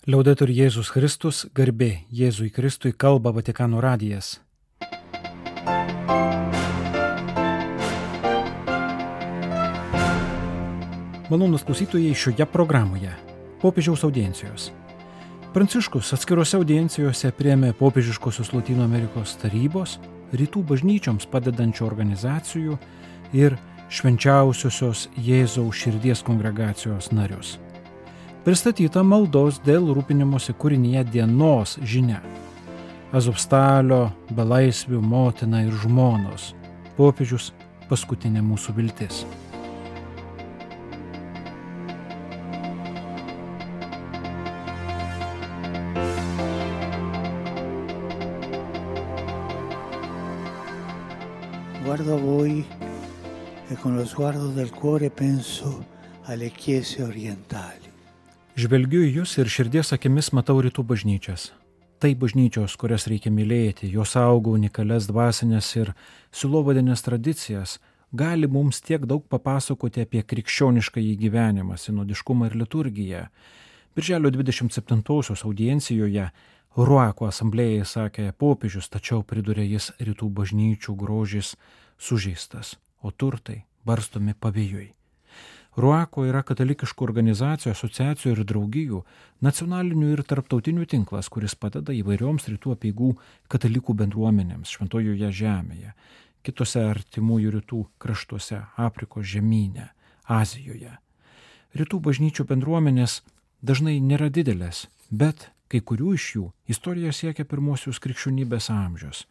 Liaudetur Jėzus Kristus, garbė Jėzui Kristui, kalba Vatikano radijas. Malonūs klausytojai, šioje programoje popiežiaus audiencijos. Pranciškus atskirose audiencijose priėmė popiežiškosios Lotynų Amerikos tarybos, rytų bažnyčioms padedančių organizacijų ir švenčiausiosios Jėzaus širdies kongregacijos narius. Pristatyta maldos dėl rūpinimosi kūrinyje dienos žinia. Azovstalio, belaisvių motina ir žmonos. Popiežius paskutinė mūsų viltis. Guardo a voi e con lo sguardo del cuore penso alle chiese orientali. Žvelgiu į jūs ir širdies akimis matau rytų bažnyčias. Tai bažnyčios, kurias reikia mylėti, jos auga unikalias dvasinės ir silovadinės tradicijas, gali mums tiek daug papasakoti apie krikščioniškąjį gyvenimą, sinodiškumą ir liturgiją. Birželio 27-osios audiencijoje Ruako asamblėjai sakė popiežius, tačiau pridūrė jis, rytų bažnyčių grožis sužeistas, o turtai barstomi pavėjui. Ruako yra katalikiškų organizacijų, asociacijų ir draugijų, nacionalinių ir tarptautinių tinklas, kuris padeda įvairioms rytų apeigų katalikų bendruomenėms Šventojoje žemėje, kitose artimųjų rytų kraštuose, Afrikos žemyne, Azijoje. Rytų bažnyčių bendruomenės dažnai nėra didelės, bet kai kurių iš jų istorija siekia pirmosius krikščionybės amžius.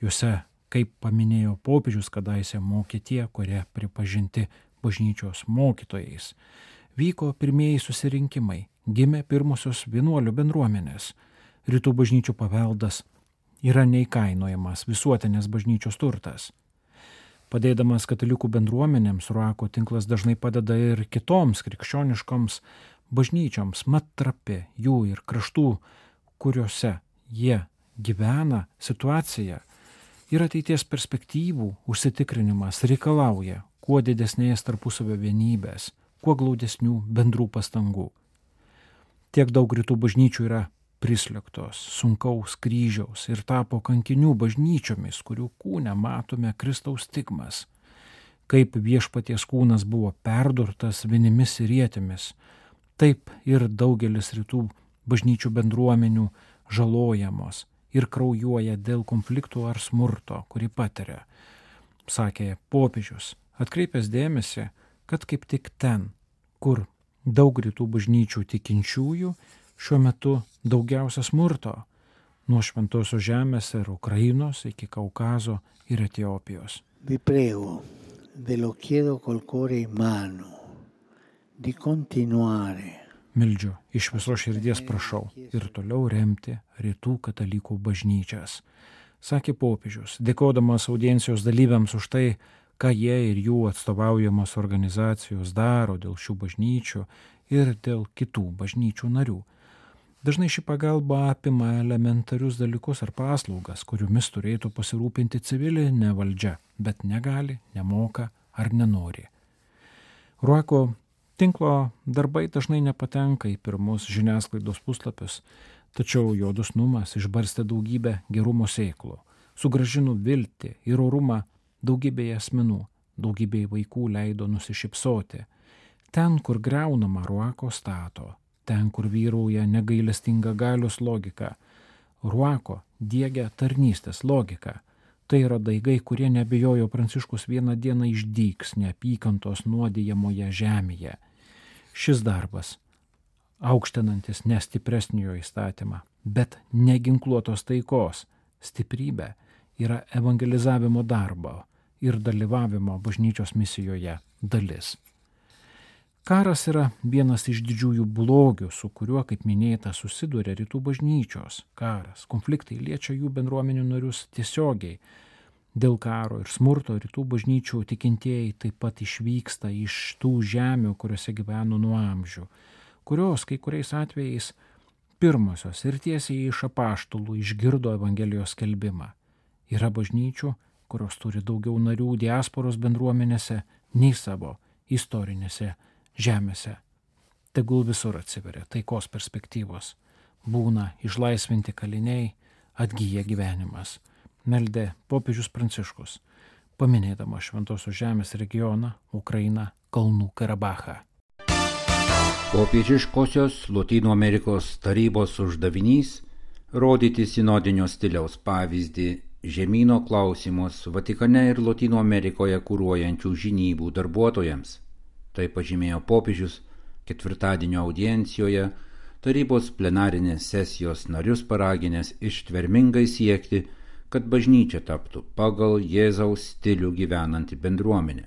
Juose, kaip paminėjo popiežius, kadaise mokė tie, kurie pripažinti bažnyčios mokytojais. Vyko pirmieji susirinkimai, gimė pirmosios vienuolių bendruomenės. Rytų bažnyčių paveldas yra neįkainojamas visuotinės bažnyčios turtas. Padėdamas katalikų bendruomenėms, Ruako tinklas dažnai padeda ir kitoms krikščioniškoms bažnyčioms, mat trapi jų ir kraštų, kuriuose jie gyvena, situacija ir ateities perspektyvų užsitikrinimas reikalauja kuo didesnės tarpusavio vienybės, kuo glaudesnių bendrų pastangų. Tiek daug rytų bažnyčių yra prislėgtos, sunkaus kryžiaus ir tapo kankinių bažnyčiomis, kurių kūne matome Kristaus stigmas. Kaip viešpaties kūnas buvo perdurtas vinimis ir ietimis, taip ir daugelis rytų bažnyčių bendruomenių žalojamos ir kraujuoja dėl konfliktų ar smurto, kurį patiria, sakė popiežius, atkreipęs dėmesį, kad kaip tik ten, kur daug rytų bažnyčių tikinčiųjų, šiuo metu daugiausia smurto, nuo Šventosios žemės ir Ukrainos iki Kaukazo ir Etiopijos. Vi prego, ve lo chiedo col cuore in mano, di continuare. Meldžiu, iš viso širdies prašau ir toliau remti rytų katalikų bažnyčias, sakė popiežius, dėkodamas audiencijos dalyviams už tai, ką jie ir jų atstovaujamos organizacijos daro dėl šių bažnyčių ir dėl kitų bažnyčių narių. Dažnai ši pagalba apima elementarius dalykus ar paslaugas, kuriomis turėtų pasirūpinti civilinė valdžia, bet negali, nemoka ar nenori. Ruako tinklo darbai dažnai nepatenka į pirmus žiniasklaidos puslapius, tačiau jo dosnumas išbarstė daugybę gerumo sėklų, sugrąžino viltį ir orumą daugybėje asmenų, daugybėje vaikų leido nusišypsoti. Ten, kur griaunama, Ruako stato, ten, kur vyrauja negailestinga galios logika, Ruako diegia tarnystės logiką. Tai yra daigai, kurie neabejojo Pranciškus vieną dieną išdygs neapykantos nuodijamoje žemėje. Šis darbas, aukštinantis ne stipresniojo įstatymą, bet neginkluotos taikos stiprybė, yra evangelizavimo darbo ir dalyvavimo bažnyčios misijoje dalis. Karas yra vienas iš didžiųjų blogių, su kuriuo, kaip minėta, susiduria rytų bažnyčios. Karas, konfliktai liečia jų bendruomenių narius tiesiogiai. Dėl karo ir smurto rytų bažnyčių tikintieji taip pat išvyksta iš tų žemių, kuriuose gyveno nuo amžių, kurios kai kuriais atvejais pirmosios ir tiesiai iš apaštalų išgirdo Evangelijos skelbimą. Yra bažnyčių, kurios turi daugiau narių diasporos bendruomenėse nei savo istorinėse žemėse. Tegul visur atsiveria taikos perspektyvos. būna išlaisvinti kaliniai, atgyja gyvenimas. Meldė popiežius Pranciškus, paminėdama Šventosios žemės regioną, Ukrainą, Kalnų Karabachą. Popiežiškosios Lotynų Amerikos tarybos uždavinys – rodyti sinodinio stiliaus pavyzdį žemyno klausimus Vatikane ir Lotynų Amerikoje kūruojančių žinybų darbuotojams. Tai pažymėjo popiežius ketvirtadienio audiencijoje tarybos plenarinės sesijos narius paraginęs ištvermingai siekti, kad bažnyčia taptų pagal Jėzaus stilių gyvenanti bendruomenė.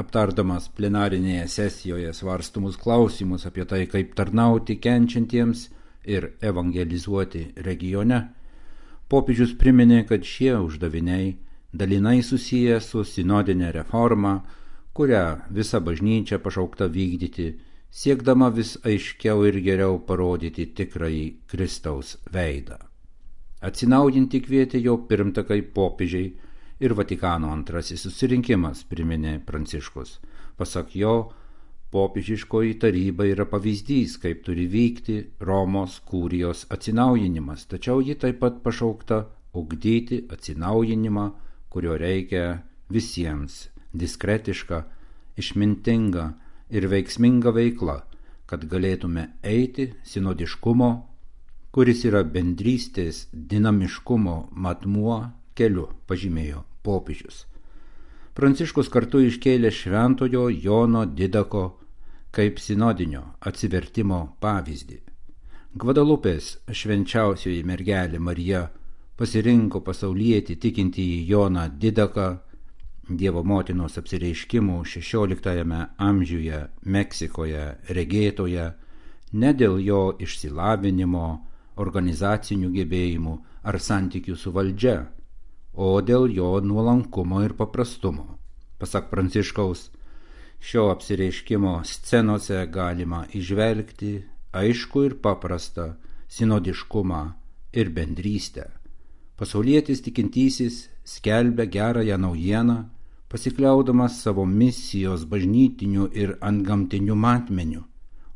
Aptardamas plenarinėje sesijoje svarstumus klausimus apie tai, kaip tarnauti kenčiantiems ir evangelizuoti regione, popiežius priminė, kad šie uždaviniai dalinai susiję su sinodinė reforma, kurią visa bažnyčia pašaukta vykdyti, siekdama vis aiškiau ir geriau parodyti tikrąjį Kristaus veidą. Atsinaujinti kvietė jo pirmtakai popiežiai ir Vatikano antrasis susirinkimas, priminė Pranciškus. Pasak jo, popiežiškoji taryba yra pavyzdys, kaip turi vykti Romos kurijos atsinaujinimas, tačiau ji taip pat pašaukta ugdyti atsinaujinimą, kurio reikia visiems – diskretiška, išmintinga ir veiksminga veikla, kad galėtume eiti sinodiškumo, kuris yra bendrystės dinamiškumo matmuo keliu, pažymėjo popiežius. Pranciškus kartu iškėlė šventojo Jono Didako kaip sinodinio atsivertimo pavyzdį. Gvadalupės švenčiausioji mergelė Marija pasirinko pasaulietį tikintįjį Joną Didaką, Dievo motinos apsireiškimų 16 amžiuje Meksikoje regėtoje, ne dėl jo išsilavinimo, organizacinių gebėjimų ar santykių su valdžia, o dėl jo nuolankumo ir paprastumo. Pasak Pranciškaus, šio apsireiškimo scenose galima įžvelgti aišku ir paprastą sinodiškumą ir bendrystę. Pasaulietis tikintysis skelbia gerąją naujieną, pasikliaudamas savo misijos bažnytiniu ir antgamtiniu matmeniu,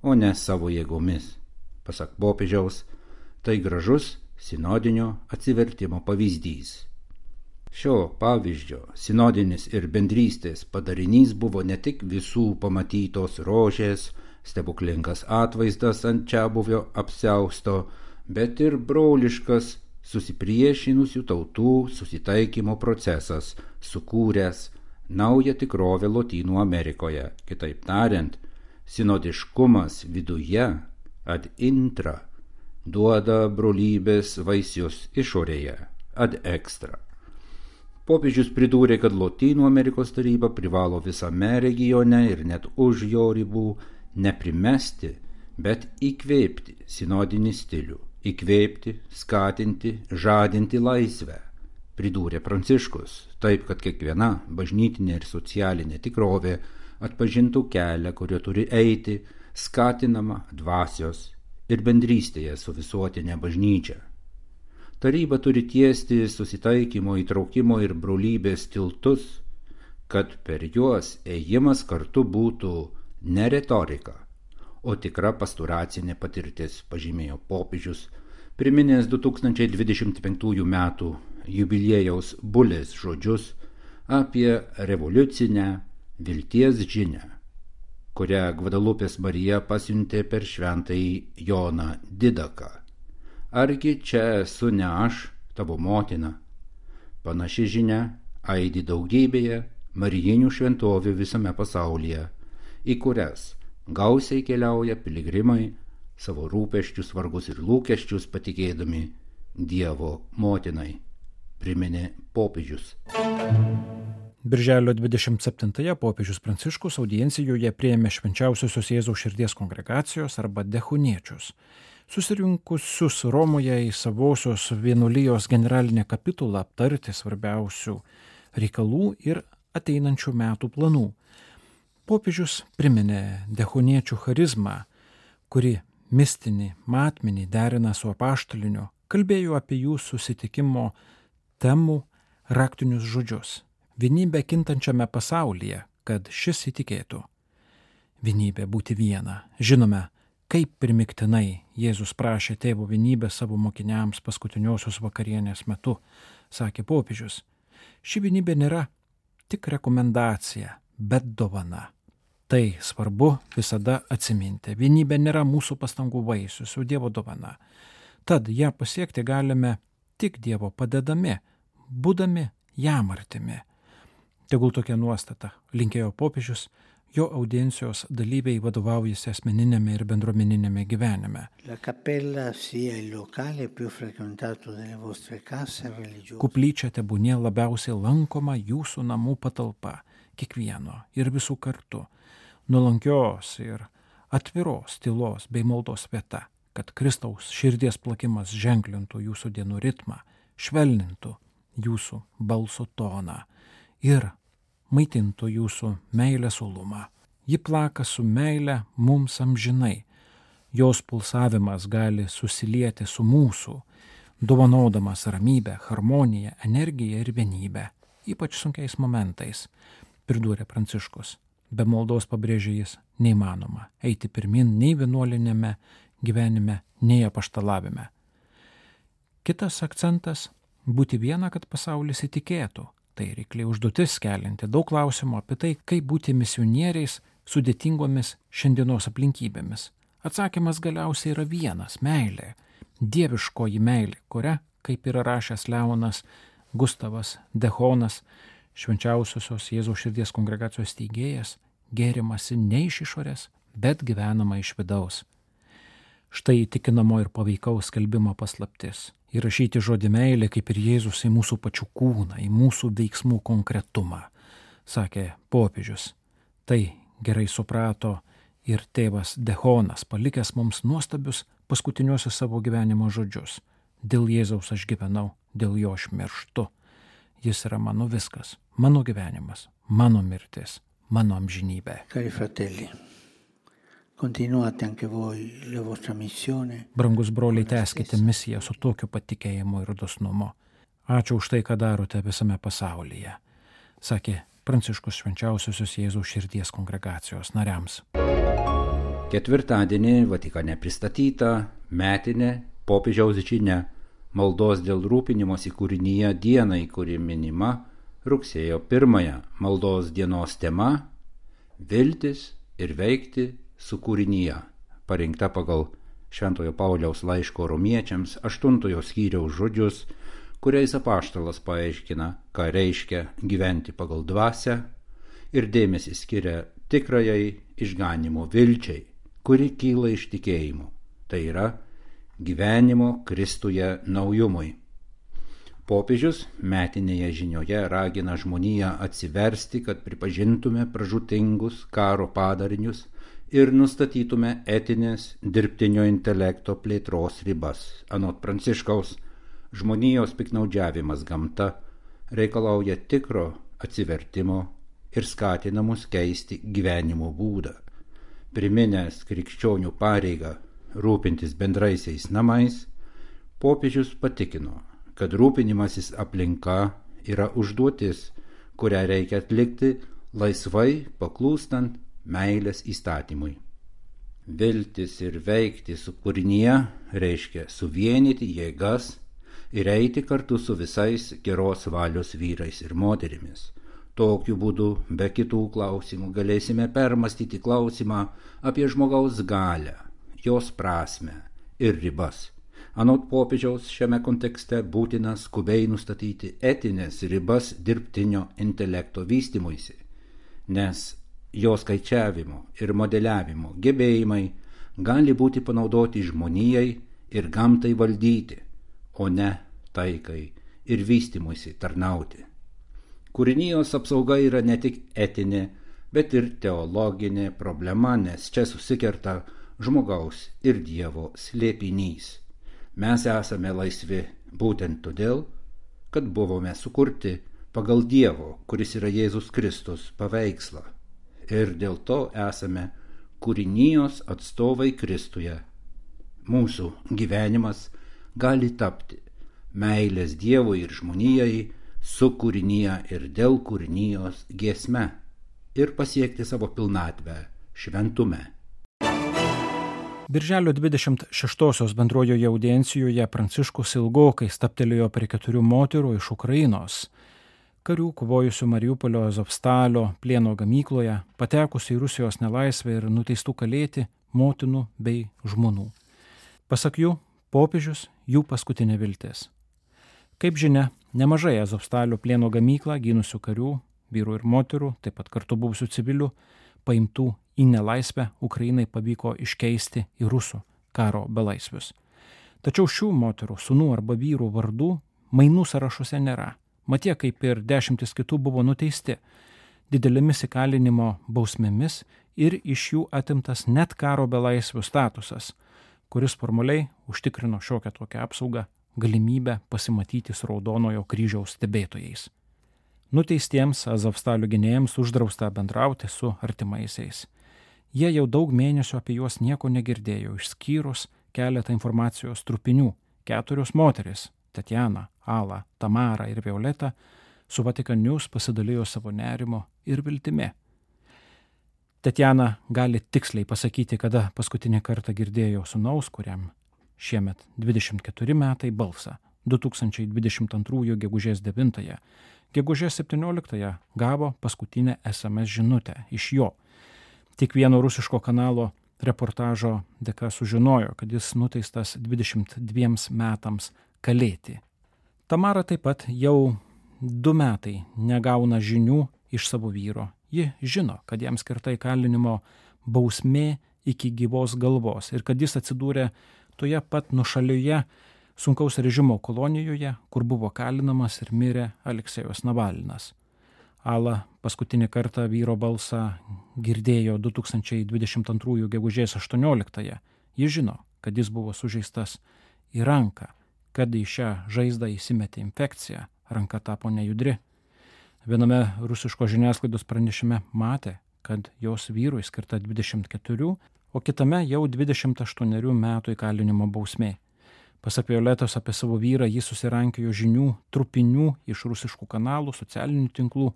o ne savo jėgomis. Pasak popiežiaus, tai gražus sinodinio atsivertimo pavyzdys. Šio pavyzdžio sinodinis ir bendrystės padarinys buvo ne tik visų pamatytos rožės, stebuklingas atvaizdas ant čiabuvio apsiausto, bet ir broliškas susipriešinusių tautų susitaikymo procesas, sukūręs naują tikrovę Lotynų Amerikoje. Kitaip tariant, sinodiškumas viduje ad intra duoda brolybės vaisius išorėje ad extra. Popiežius pridūrė, kad Lotynų Amerikos taryba privalo visame regione ir net už jo ribų neprimesti, bet įkvėpti sinodinį stilių, įkvėpti, skatinti, žadinti laisvę, pridūrė Pranciškus, taip, kad kiekviena bažnytinė ir socialinė tikrovė atpažintų kelią, kurio turi eiti, skatinama dvasios ir bendrystėje su visuotinė bažnyčia. Taryba turi tiesti susitaikymo, įtraukimo ir brolybės tiltus, kad per juos ėjimas kartu būtų ne retorika, o tikra pastoracinė patirtis, pažymėjo popiežius, priminęs 2025 metų jubiliejaus bulės žodžius apie revoliucinę vilties žinią, kurią Gvadalupės Marija pasiuntė per šventąjį Joną Didaką. Argi čia esu ne aš, tavo motina? Panaši žinia aidi daugybėje marijinių šventovių visame pasaulyje, į kurias gausiai keliauja piligrimai, savo rūpesčius, vargus ir lūkesčius patikėdami Dievo motinai, priminė popiežius. Birželio 27-ąją popiežius Pranciškus audiencijoje priėmė švenčiausiosios Jėzaus širdies kongregacijos arba dechuniečius, susirinkusius Romoje į savosios vienuolijos generalinę kapitulą aptarti svarbiausių reikalų ir ateinančių metų planų. Popiežius priminė dechuniečių charizmą, kuri mistinį matmenį derina su apaštaliniu, kalbėjo apie jų susitikimo temų raktinius žodžius. Vienybė kintančiame pasaulyje, kad šis įtikėtų. Vienybė būti viena. Žinome, Kaip primiktinai Jėzus prašė Tėvo vienybės savo mokiniams paskutiniosios vakarienės metu, sakė popiežius. Ši vienybė nėra tik rekomendacija, bet dovana. Tai svarbu visada atsiminti. Vienybė nėra mūsų pastangų vaisius, o Dievo dovana. Tad ją pasiekti galime tik Dievo padedami, būdami jam artimi. Tegul tokia nuostata, linkėjo popiežius, jo audiencijos dalyviai vadovaujasi asmeninėme ir bendruomeninėme gyvenime. Koplyčia tebūnie labiausiai lankoma jūsų namų patalpa, kiekvieno ir visų kartu, nuolankios ir atviros tylos bei maldos vieta, kad Kristaus širdies plakimas ženklintų jūsų dienų ritmą, švelnintų jūsų balso toną ir maitintų jūsų meilės uolumą. Ji plaka su meile mums amžinai. Jos pulsavimas gali susilieti su mūsų, dovanodamas ramybę, harmoniją, energiją ir vienybę, ypač sunkiais momentais, pridūrė Pranciškus. Be maldos, pabrėžė jis, neįmanoma eiti pirmin nei vienuolinėme gyvenime, nei apaštalavime. Kitas akcentas – būti viena, kad pasaulis įtikėtų. Tai reikliai užduotis kelinti daug klausimų apie tai, kaip būti misionieriais sudėtingomis šiandienos aplinkybėmis. Atsakymas galiausiai yra vienas – meilė, dieviškoji meilė, kuria, kaip yra rašęs Leonas Gustavas Dehonas, švenčiausiosios Jėzaus širdies kongregacijos steigėjas, gėrimasi ne iš išorės, bet gyvenama iš vidaus. Štai įtikinamo ir paveikaus skelbimo paslaptis. Įrašyti žodį meilė kaip ir Jėzus į mūsų pačių kūną, į mūsų veiksmų konkretumą, sakė popiežius. Tai gerai suprato ir tėvas Dehonas, palikęs mums nuostabius paskutiniuosius savo gyvenimo žodžius. Dėl Jėzaus aš gyvenau, dėl jo aš mirštu. Jis yra mano viskas, mano gyvenimas, mano mirtis, mano amžinybė. Cari fratelli, continuate anche voi la vostra missione. Brangus broliai, tęskite misiją su tokiu patikėjimu ir dosnumu. Ačiū už tai, ką darote visame pasaulyje, sakė Pranciškus švenčiausiosios Jėzaus širdies kongregacijos nariams. Ketvirtadienį Vatikane pristatyta metinė popiežiaus žinia maldos dėl rūpinimosi kūrinyje dienai, kuri minima rugsėjo 1. Maldos dienos tema – viltis ir veikti su kūrinyje, parinkta pagal Šventojo Pauliaus laiško romiečiams 8 skyriaus žodžius, kuriais apaštalas paaiškina, ką reiškia gyventi pagal dvasią ir dėmesį skiria tikrajai išganimo vilčiai, kuri kyla iš tikėjimo, tai yra gyvenimo Kristuje naujumui. Popiežius metinėje žinioje ragina žmoniją atsiversti, kad pripažintume pražūtingus karo padarinius ir nustatytume etinės dirbtinio intelekto plėtros ribas. Anot Pranciškaus, žmonijos piknaudžiavimas gamta reikalauja tikro atsivertimo ir skatina mus keisti gyvenimo būdą. Priminęs krikščionių pareigą rūpintis bendraisiais namais, popiežius patikino, kad rūpinimasis aplinka yra užduotis, kurią reikia atlikti laisvai paklūstant meilės įstatymui. Viltis ir veikti su kūrinyje reiškia suvienyti jėgas ir eiti kartu su visais geros valios vyrais ir moterimis. Tokiu būdu, be kitų klausimų, galėsime permastyti klausimą apie žmogaus galią, jos prasmę ir ribas. Anot popiežiaus, šiame kontekste būtina skubiai nustatyti etinės ribas dirbtinio intelekto vystymuisi, nes jo skaičiavimo ir modeliavimo gebėjimai gali būti panaudoti žmonijai ir gamtai valdyti, o ne taikai ir vystymuisi tarnauti. Kūrinijos apsauga yra ne tik etinė, bet ir teologinė problema, nes čia susikerta žmogaus ir Dievo slėpinys. Mes esame laisvi būtent todėl, kad buvome sukurti pagal Dievo, kuris yra Jėzus Kristus, paveikslą. Ir dėl to esame kūrinijos atstovai Kristuje. Mūsų gyvenimas gali tapti meilės Dievui ir žmonijai su kūrinyje ir dėl kūrinijos giesme ir pasiekti savo pilnatvę šventume. Birželio 26-osios bendrojoje audiencijoje Pranciškus ilgokai stabtelėjo prie 4 moterų iš Ukrainos, karių kovojusių Mariupolio Azovstalio plieno gamykloje, patekusių į Rusijos nelaisvę ir nuteistų kalėti motinų bei žmonų. Pasak jų, popiežius jų paskutinė viltis. Kaip žinia, nemažai Azovstalio plieno gamyklą gynusių karių, vyrų ir moterų, taip pat kartu buvusių civilių, paimtų į nelaisvę Ukrainai pavyko iškeisti į rusų karo belaisvius. Tačiau šių moterų, sūnų arba vyrų vardų mainų sąrašuose nėra. Mat jie, kaip ir 10 kitų, buvo nuteisti didelėmis įkalinimo bausmėmis ir iš jų atimtas net karo belaisvių statusas, kuris formaliai užtikrino šiokią tokią apsaugą, galimybę pasimatyti su Raudonojo kryžiaus stebėtojais. Nuteistiems Azovstalio gynėjams uždrausta bendrauti su artimaisiais. Jie jau daug mėnesių apie juos nieko negirdėjo, išskyrus keletą informacijos trupinių. 4 moteris – Tatjana, Ala, Tamara ir Violeta – su Vatikan News pasidalijo savo nerimo ir viltimi. Tatjana gali tiksliai pasakyti, kada paskutinį kartą girdėjo sūnaus, kuriam šiemet 24 metai, balsą. 2022 gegužės 9. Gegužės 17 gavo paskutinę SMS žinutę iš jo. Tik vieno rusiško kanalo reportažo dėka sužinojo, kad jis nuteistas 22 metams kalėti. Tamara taip pat jau 2 metai negauna žinių iš savo vyro. Ji žino, kad jam skirta įkalinimo bausmė iki gyvos galvos ir kad jis atsidūrė toje pat nuošalioje sunkaus režimo kolonijoje, kur buvo kalinamas ir mirė Aleksejus Navalnas. Ala paskutinį kartą vyro balsą girdėjo 2022 gegužės 18. Jis žino, kad jis buvo sužeistas į ranką, kad į šią žaizdą įsimetė infekcija, ranka tapo nejudri. Viename rusiško žiniasklaidos pranešime matė, kad jos vyrui skirta 24, o kitame jau 28 metų įkalinimo bausmė. Pasak Violetos apie savo vyrą, jis susirankiojo žinių trupinių iš rusiškų kanalų, socialinių tinklų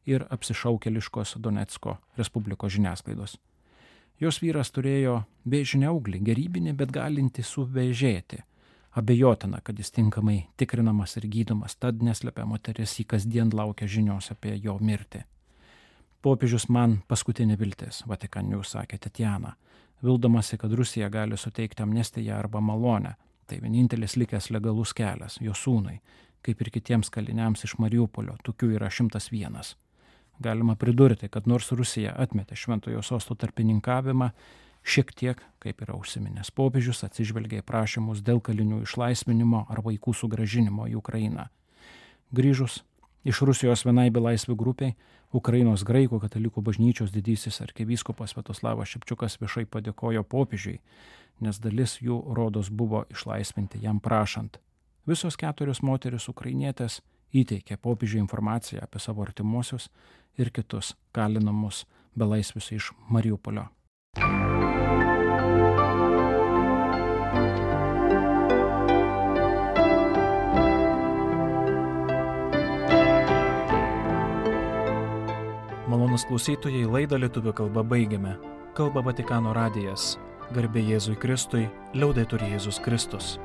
ir apsišaukėliškos Donecko Respublikos žiniasklaidos. Jos vyras turėjo vėžinę auglį, gerybinį, bet galinti suvėžėti. Abejotina, kad jis tinkamai tikrinamas ir gydomas, tad neslepia moteris, jį kasdien laukia žinios apie jo mirtį. Popiežius man paskutinė viltis, Vatikan News sakė Tatjana, vildamasi, kad Rusija gali suteikti amnestiją arba malonę. Tai vienintelis likęs legalus kelias jo sūnui, kaip ir kitiems kaliniams iš Mariupolio, tokių yra 101. Galima pridurti, kad nors Rusija atmetė Šventojo Sosto tarpininkavimą, šiek tiek, kaip yra užsiminęs popiežius, atsižvelgia į prašymus dėl kalinių išlaisvinimo ar vaikų sugrąžinimo į Ukrainą. Grįžus iš Rusijos vienai belaisvių grupiai, Ukrainos graikų katalikų bažnyčios didysis arkivyskupas Sviatoslavas Šepčiukas viešai padėkojo popiežiui, nes dalis jų rodos buvo išlaisvinti jam prašant. Visos 4 moteris ukrainietės įteikė popiežiui informaciją apie savo artimuosius ir kitus kalinamus belaisvius iš Mariupolio. Malonūs klausytojai, laidą lietuvių kalba baigiame. Kalba Vatikano radijas. Garbė Jėzui Kristui, liaudetur Jėzus Kristus.